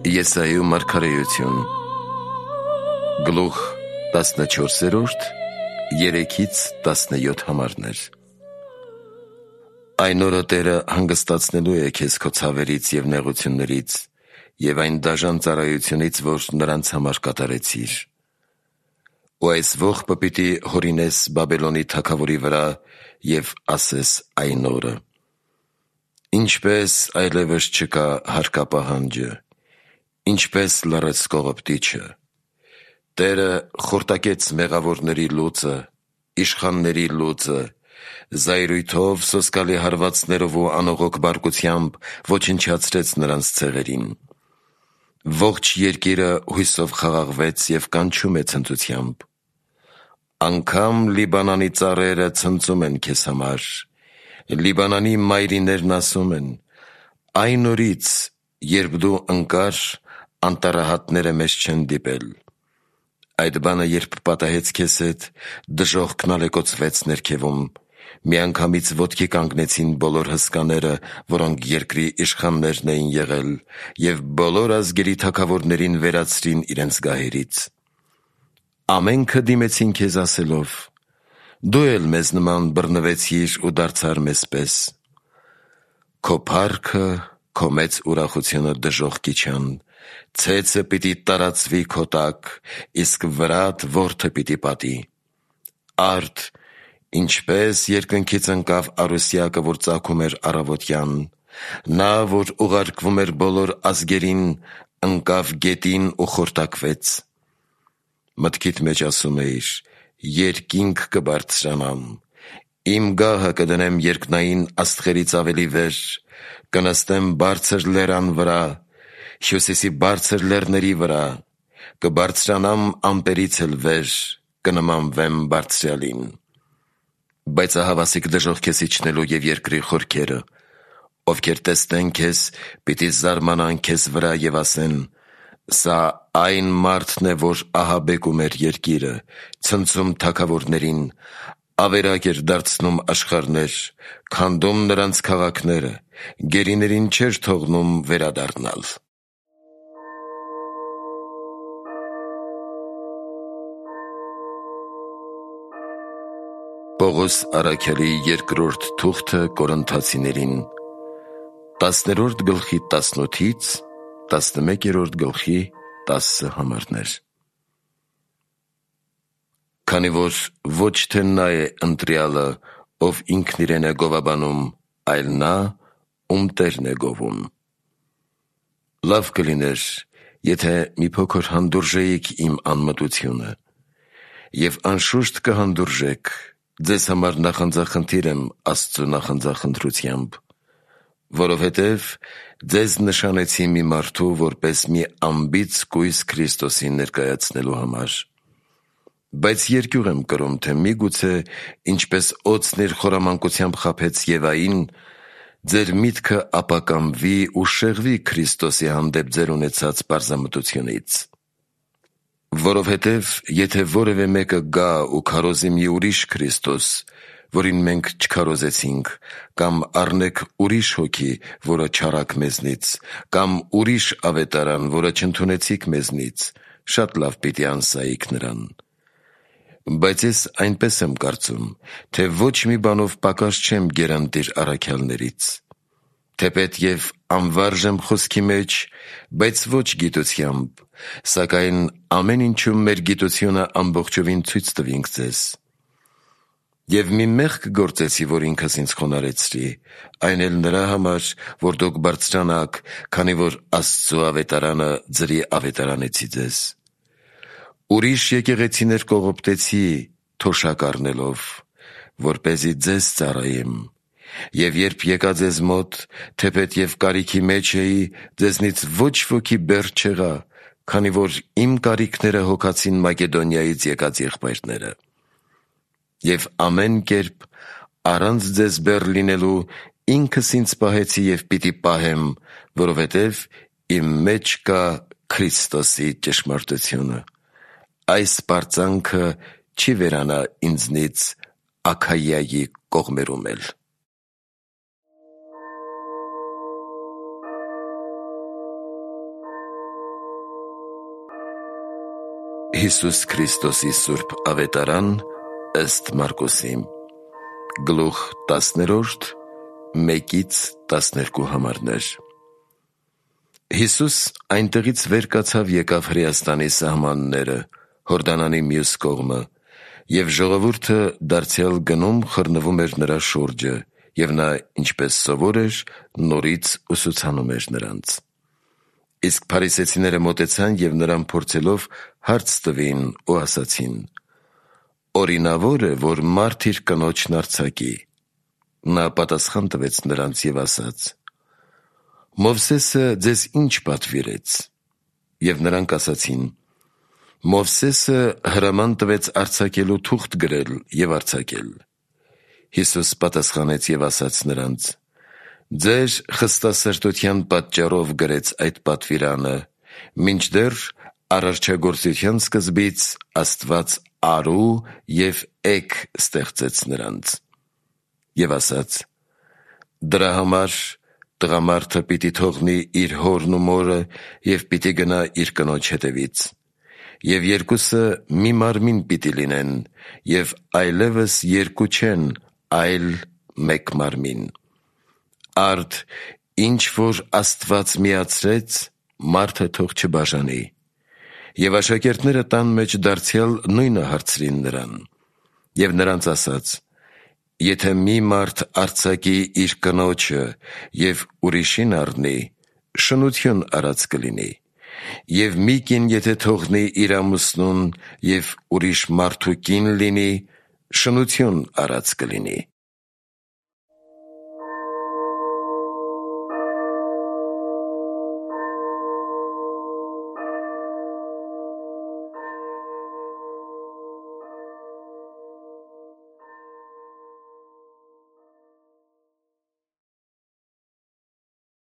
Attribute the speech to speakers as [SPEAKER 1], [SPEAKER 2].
[SPEAKER 1] Եսայու մարգարեություն Գլուխ 14, 3-17 համարներ։ Այն օրը Տերը հանգստացնելու է քեզ քո ցավերից և նեղություններից և այն դաժան ծառայությունից, որ նրանց համար կատարեցիր։ Ու այս ողբը պիտի հորինես Բաբելոնի թագավորի վրա և ասես այն օրը. ինչպես այլևս չկա հարկապահանջը, ինչպես լռեց կողոպտիչը, Տերը խորտակեց մեղավորների լուծը, իշխանների լուծը, զայրույթով, սոսկալի հարվածներով ու անողոք բարկությամբ ոչնչացրեց նրանց ցեղերին։ Ողջ երկիրը հույսով խաղաղվեց և կանչում է ցնծությամբ։ Անգամ Լիբանանի ծառերը ցնծում են քեզ համար, Լիբանանի մայրիներն ասում են. այն օրից, երբ դու ընկար, անտառահատները մեզ չեն դիպել։ Այդ բանը երբ պատահեց քեզ հետ, դժոխքն ալեկոծվեց ներքևում, միանգամից ոտքի կանգնեցին բոլոր հսկաները, որոնք երկրի իշխաններն էին եղել, և բոլոր ազգերի թագավորներին վերացրին իրենց գահերից։ Ամենքը դիմեցին քեզ ասելով. դու էլ մեզ նման բռնվեցիր ու դարձար մեզ պես։ Քո փառքը, քո մեծ ուրախությունը դժոխքի չան, ցեցը պիտի տարածվի քո տակ, իսկ վրադ որդը պիտի պատի։ Արդ, ինչպես երկնքից ընկավ առուսյակը, որ ծագում էր առավոտյան, նա, որ ուղարկվում էր բոլոր ազգերին, ընկավ գետին ու խորտակվեց։ Մտքիդ մեջ ասում էիր. երկինք կբարձրանամ, իմ գահը կդնեմ երկնային աստղերից ավելի վեր, կնստեմ բարձր լեռան վրա, Հյուսիսի բարձր լեռների վրա, կբարձրանամ ամպերից էլ վեր, կնմանվեմ Բարձրյալին։ Բայց ահավասիկ դժոխք քեզ իջնելու և երկրի խորքերը, ովքեր տեսնեն քեզ, պիտի զարմանան քեզ վրա և ասեն. սա այն մարդն է, որ ահաբեկում էր երկիրը, ցնցում թագավորներին, ավերակ էր դարձնում աշխարհներ, քանդում նրանց քաղաքները, գերիներին չէր թողնում վերադառնալ։ Պողոս առաքյալի երկրորդ թուղթը Կորինթացիներին 10-րդ գլխի 18-ից 11-րդ գլխի 10 համարներ։ Քանի որ ոչ թե նա է ընտրյալը, ով ինքն իրեն է գովաբանում, այլ նա, ում Տերն է գովում։ Լավ կլիներ, եթե մի փոքր հանդուրժեիք իմ անմտությունը, և անշուշտ կհանդուրժեք, ձեզ համար նախանձախնդիր եմ Աստծու նախանձախնդրությամբ, որովհետև ձեզ նշանեցի մի մարդու, որպես մի անբիծ կույս Քրիստոսին ներկայացնելու համար։ Բայց երկյուղ եմ կրում, թե միգուցե, ինչպես օձն իր խորամանկությամբ խաբեց Եվային, ձեր միտքը ապականվի ու շեղվի Քրիստոսի հանդեպ ձեր ունեցած պարզամտությունից։ Որովհետև եթե որևէ մեկը գա ու քարոզի մի ուրիշ Քրիստոս, որին մենք չքարոզեցինք, կամ առնեք ուրիշ հոգի, որը չառաք մեզնից, կամ ուրիշ ավետարան, որը չընդունեցիք մեզնից, շատ լավ պիտի անսայիք նրան։ Բայց ես այնպես եմ կարծում, թե ոչ մի բանով պակաս չեմ գերանտիր առաքյալներից։ Թեպետ և անվարժ եմ խոսքի մեջ, բայց ոչ գիտությամբ, սակայն ամեն ինչում մեր գիտությունը ամբողջովին ցույց տվինք ձեզ։ Եվ մի մեղք գործեցի, որ ինքս ինձ խոնարհեցրի, այն էլ նրա համար, որ դուք բարձրանաք, քանի որ Աստծու ավետարանը ձրի ավետարանեցի ձեզ։ Ուրիշ եկեղեցիներ կողոպտեցի, թոշակ առնելով, որպեսզի ձեզ ծառայեմ, և երբ եկա ձեզ մոտ, թեպետ և կարիքի մեջ էի, ձեզնից ոչ ոքի բեռ չեղա, քանի որ իմ կարիքները հոգացին Մակեդոնիայից եկած եղբայրները։ Եվ ամեն կերպ, առանց ձեզ բեռ լինելու, ինքս ինձ պահեցի և պիտի պահեմ, որովհետև իմ մեջ կա Քրիստոսի ճշմարտությունը։ Այս պարծանքը չի վերանա ինձնից Աքայիայի կողմերում էլ։ Հիսուս Քրիստոսի Սուրբ Ավետարան ըստ Մարկոսի Գլուխ 10 1-12 համարներ։ Հիսուս այնտեղից վեր կացավ եկավ Հրեաստանի սահմանները, Հորդանանի մյուս կողմը, և ժողովուրդը դարձյալ գնում խռնվում էր նրա շուրջը, և նա, ինչպես սովոր էր, նորից ուսուցանում էր նրանց։ Իսկ փարիսեցիները մոտեցան և նրան փորձելով հարց տվին ու ասացին. «Օրինավոր է, որ մարդ իր կնոջն արձակի»։ Նա պատասխան տվեց նրանց և ասաց. «Մովսեսը ձեզ ինչ պատվիրեց»։ Եվ նրանք ասացին. «Մովսեսը հրաման տվեց արձակելու թուղթ գրել և արձակել»։ Հիսուս պատասխանեց և ասաց նրանց. «Ձեր խստասրտության պատճառով գրեց այդ պատվիրանը, մինչդեռ արարչագործության սկզբից Աստված արու և էգ ստեղծեց նրանց»։ Եվ ասաց. «Դրա համար տղամարդը պիտի թողնի իր հորն ու մորը և պիտի գնա իր կնոջ հետևից, և երկուսը մի մարմին պիտի լինեն, և այլևս երկու չեն, այլ մեկ մարմին։ Արդ ինչ որ Աստված միացրեց, մարդը թող չբաժանի»։ Եվ աշակերտները տան մեջ դարձյալ նույնը հարցրին նրան։ Եվ նրանց ասաց. «Եթե մի մարդ արձակի իր կնոջը և ուրիշին առնի, շնություն արած կլինի, և մի կին եթե թողնի իր ամուսնուն և ուրիշ մարդու կին լինի, շնություն արած կլինի»։